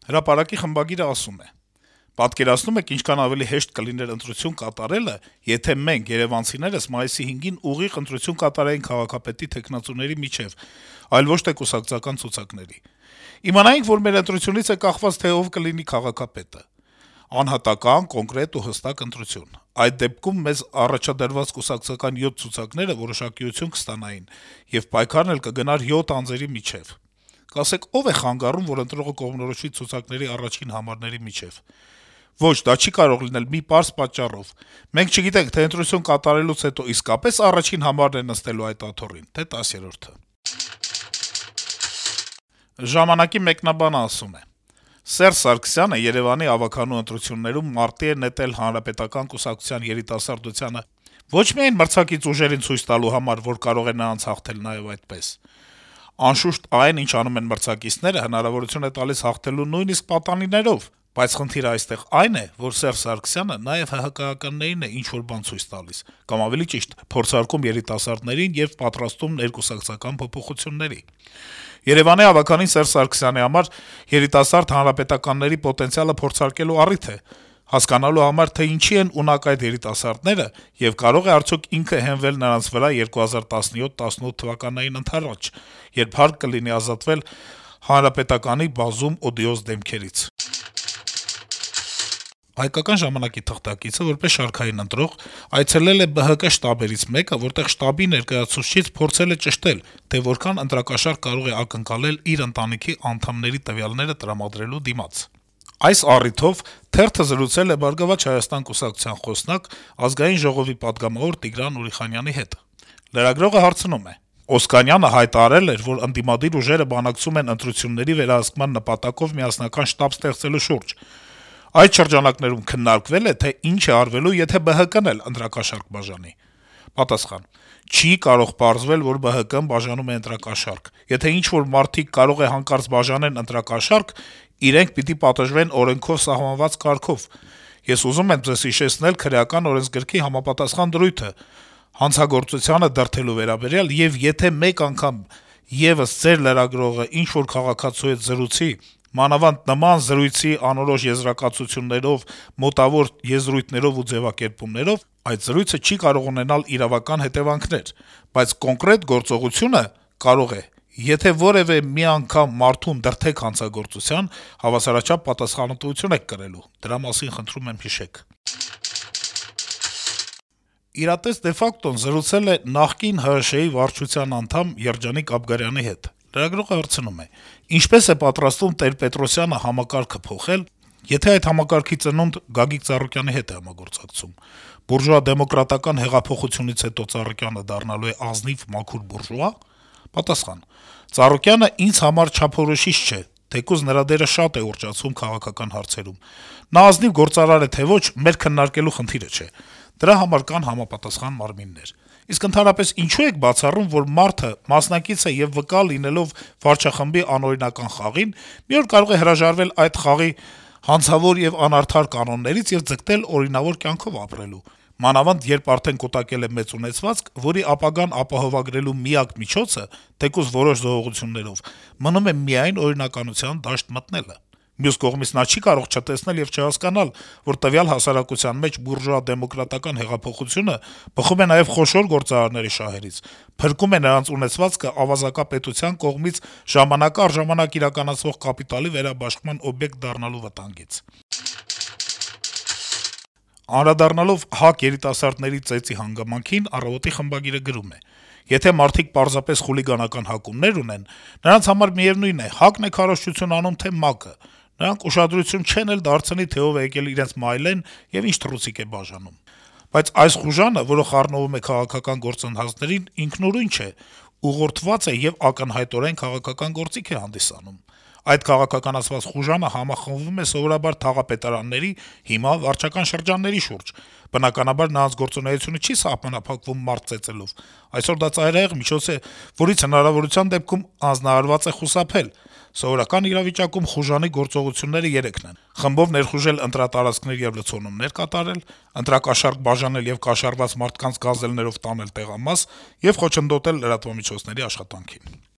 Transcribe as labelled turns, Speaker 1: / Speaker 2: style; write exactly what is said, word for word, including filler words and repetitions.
Speaker 1: Հրապարակի խմբագիրը ասում է. - «Պատկերացնո՞ւմ եք ինչքան ավելի հեշտ կլիներ ընտրություն կատարելը, եթե մենք, երեւանցիներս, մայիսի հինգին ուղիղ ընտրություն կատարեինք քաղաքապետի թեկնածուների միջեւ, այլ ոչ թե կուսակցական ցուցակների: Իմանայինք, որ մեր ընտրությունից է կախված, թե ով կլինի քաղաքապետը: Անհատական, կոնկրետ ու հստակ ընտրություն: Այդ դեպքում մեզ առաջադրված կուսակցական յոթ ցուցակները որոշակիություն կստանային, եւ պայքարն էլ կգնար յոթ անձերի միջեւ: Կասեք, ո՞վ է խանգարում, որ ընտրողը կողմնորոշվի ցուցակների առաջին համարների միջեւ: Ոչ, դա չի կարող լինել մի պարզ պատճառով: Մենք չգիտենք, թե ընտրություն կատարելուց հետո իսկապե՞ս առաջին համարն է նստելու այդ աթոռին, թե տասերորդը»: «Ժամանակ»-ի մեկնաբանը ասում է. - «Սերժ Սարգսյանը Երեւանի ավագանու ընտրություններում մարտի է նետել Հանրապետական կուսակցության երիտասարդությանը ոչ միայն մրցակից ուժերին ցույց տալու համար, որ կարող է նրանց հաղթել նաեւ այդպես: Անշուշտ, այն, ինչ անում են մրցակիցները, հնարավորություն է տալիս հաղթելու նույնիսկ պատանիներով: Բայց խնդիրը այստեղ այն է, որ Սերժ Սարգսյանը նաեւ ՀՀԿ-ականներին է ինչ-որ բան ցույց տալիս, կամ ավելի ճիշտ, փորձարկում երիտասարդներին եւ պատրաստում ներկուսակցական փոփոխությունների: Երեւանի ավագանին Սերժ Սարգսյանի համար երիտասարդ հանրապետականների պոտենցիալը փորձարկելու առիթ է, հասկանալու համար, թե ինչի են ունակ այդ երիտասարդները եւ կարող է արդյոք ինքը հենվել նրանց վրա երկու հազար տասնյոթ տասնութ թվականներին ընդառաջ, երբ հարկ կլինի ազատվել ՀՀԿ-ի բազում օդիոզ դեմքերից»: «Հայկական ժամանակ»-ի թղթակիցը, որպես շարքային ընտրող, այցելել է ԲՀԿ շտաբերից մեկը, որտեղ շտաբի ներկայացուցչից փորձել է ճշտել, թե որքան ընտրակաշառք կարող է ակնկալել իր ընտանիքի անդամների տվյալները տրամադրելու դիմաց: Այս առիթով թերթը զրուցել է «Բարգավաճ Հայաստան» կուսակցության խոսնակ, Ազգային ժողովի պատգամավոր Տիգրան Ուրիխանյանի հետ: Լրագրողը հարցնում է. - «Օսկանյանը հայտարարել էր, որ ընդդիմադիր ուժերը բանակցում են ընտրությունների վերահսկման նպատակով միասնական շտաբ ստեղծելու շուրջ: Այդ շրջանակներում քննարկվե՞լ է, թե ինչ է արվելու, եթե ԲՀԿ-ն էլ ընտրակաշառք բաժանի»: Պատասխան. - «Չի կարող պարզվել, որ ԲՀԿ-ն բաժանում է ընտրակաշառք: Եթե ինչ-որ մարդիկ կարող է հանկարծ բաժանեն ընտրակաշառք, իրենք պիտի պատժվեն օրենքով սահմանված կարգով: Ես ուզում եմ ձեզ հիշեցնել Քրեական օրենսգրքի համապատասխան դրույթը հանցագործությանը դրդելու վերաբերյալ, եւ եթե մեկ անգամ եւս ձեր լրագրողը ինչ-որ քաղաքացու հետ զրուցի, մանավանդ նման զրույցի անորոշ եզրակացություններով, մոտավոր եզրույթներով ու ձեւակերպումներով, այդ զրույցը չի կարող ունենալ իրավական հետեւանքներ, բայց կոնկրետ գործողությունը կարող է: Եթե որեւէ մի անգամ մարդուն դրդեք հանցագործության, հավասարաչափ պատասխանատվություն եք կրելու: Դրա մասին խնդրում եմ հիշեք»: «Իրատես de facto-ն» զրուցել է նախկին ՀՀՇ-ի վարչության անդամ Երջանիկ Աբգարյանի հետ: Լրագրողը հարցնում է. - «Ինչպե՞ս է պատրաստվում Տեր-Պետրոսյանը համակարգը փոխել, եթե այդ համակարգի ծնունդ Գագիկ Ծառուկյանի հետ է համագործակցում: Բուրժուա-դեմոկրատական հեղափոխությունից հետո Ծառուկյանը դառնալու է ազնիվ մաքուր բուրժուա»: Պատասխան. - «Ծառուկյանը ինձ համար չափորոշիչ չէ, թեկուզ նրա դերը շատ է ուռճացվում քաղաքական հարցերում: Նա ազնիվ գործարար է, թե ոչ, մեր քննարկելու խնդիրը չէ: Դրա համար կան համապատասխան մարմիններ: Իսկ ընդհանրապես ինչո՞ւ եք բացառում, որ մարդը, մասնակից է եւ վկա լինելով վարչախմբի անօրինական խաղին, մի օր կարող է հրաժարվել այդ խաղի հանցավոր եւ անարդար կանոններից եւ ձգտել օրինավոր կյանքով ապրելու: Մանավանդ երբ արդեն կուտակել է մեծ ունեցվածք, որի ապագան ապահովագրելու միակ միջոցը, թեկուզ որոշ զոհողություններով, մնում է միայն օրինականության դաշտ մտնելը: Մյուս կողմից, նա չի կարող չտեսնել եւ չհասկանալ, որ տվյալ հասարակության մեջ բուրժուա-դեմոկրատական հեղափոխությունը բխում է նաեւ խոշոր գործարարների շահերից, փրկում է նրանց ունեցվածքը ավազակապետության կողմից ժամանակ առ ժամանակ իրականացվող կապիտալի վերաբաշխման օբյեկտ դառնալու վտանգից»: Անդրադառնալով ՀԱԿ երիտասարդների ծեծի հանգամանքին, «Առավոտ»-ի խմբագիրը գրում է. - «Եթե մարդիկ պարզապես խուլիգանական հակումներ ունեն, նրանց համար միեւնույն է` ՀԱԿ-ն է քարոզչություն անում, թե ՄԱԿ-ը: Նրանք ուշադրություն չեն էլ դարձնի, թե ով է եկել իրենց մայլեն եւ ինչ թռուցիկ է բաժանում: Բայց այս խուժանը, որը խառնվում է քաղաքական գործընթացներին, ինքնուրույն չէ, ուղղորդված է եւ ակնհայտորեն քաղաքական գործիք է հանդիսանում: Այդ քաղաքականացված խուժանը համախմբվում է սովորաբար թաղապետարանների, հիմա վարչական շրջանների շուրջ: Բնականաբար, նրանց գործունեությունը չի սահմանափակվում մարդ ծեծելով: Այսօր դա ծայրահեղ միջոց է, որից հնարավորության դեպքում հանձնարարված է խուսափել: Սովորական իրավիճակում խուժանի գործողությունները երեքն են` խմբով ներխուժել ընտրատարածքներ եւ լցոնումներ կատարել, ընտրակաշառք բաժանել եւ կաշառված մարդկանց գազելներով տանել տեղամաս եւ խոչընդոտել լրատվամիջոցների աշխատանքին»: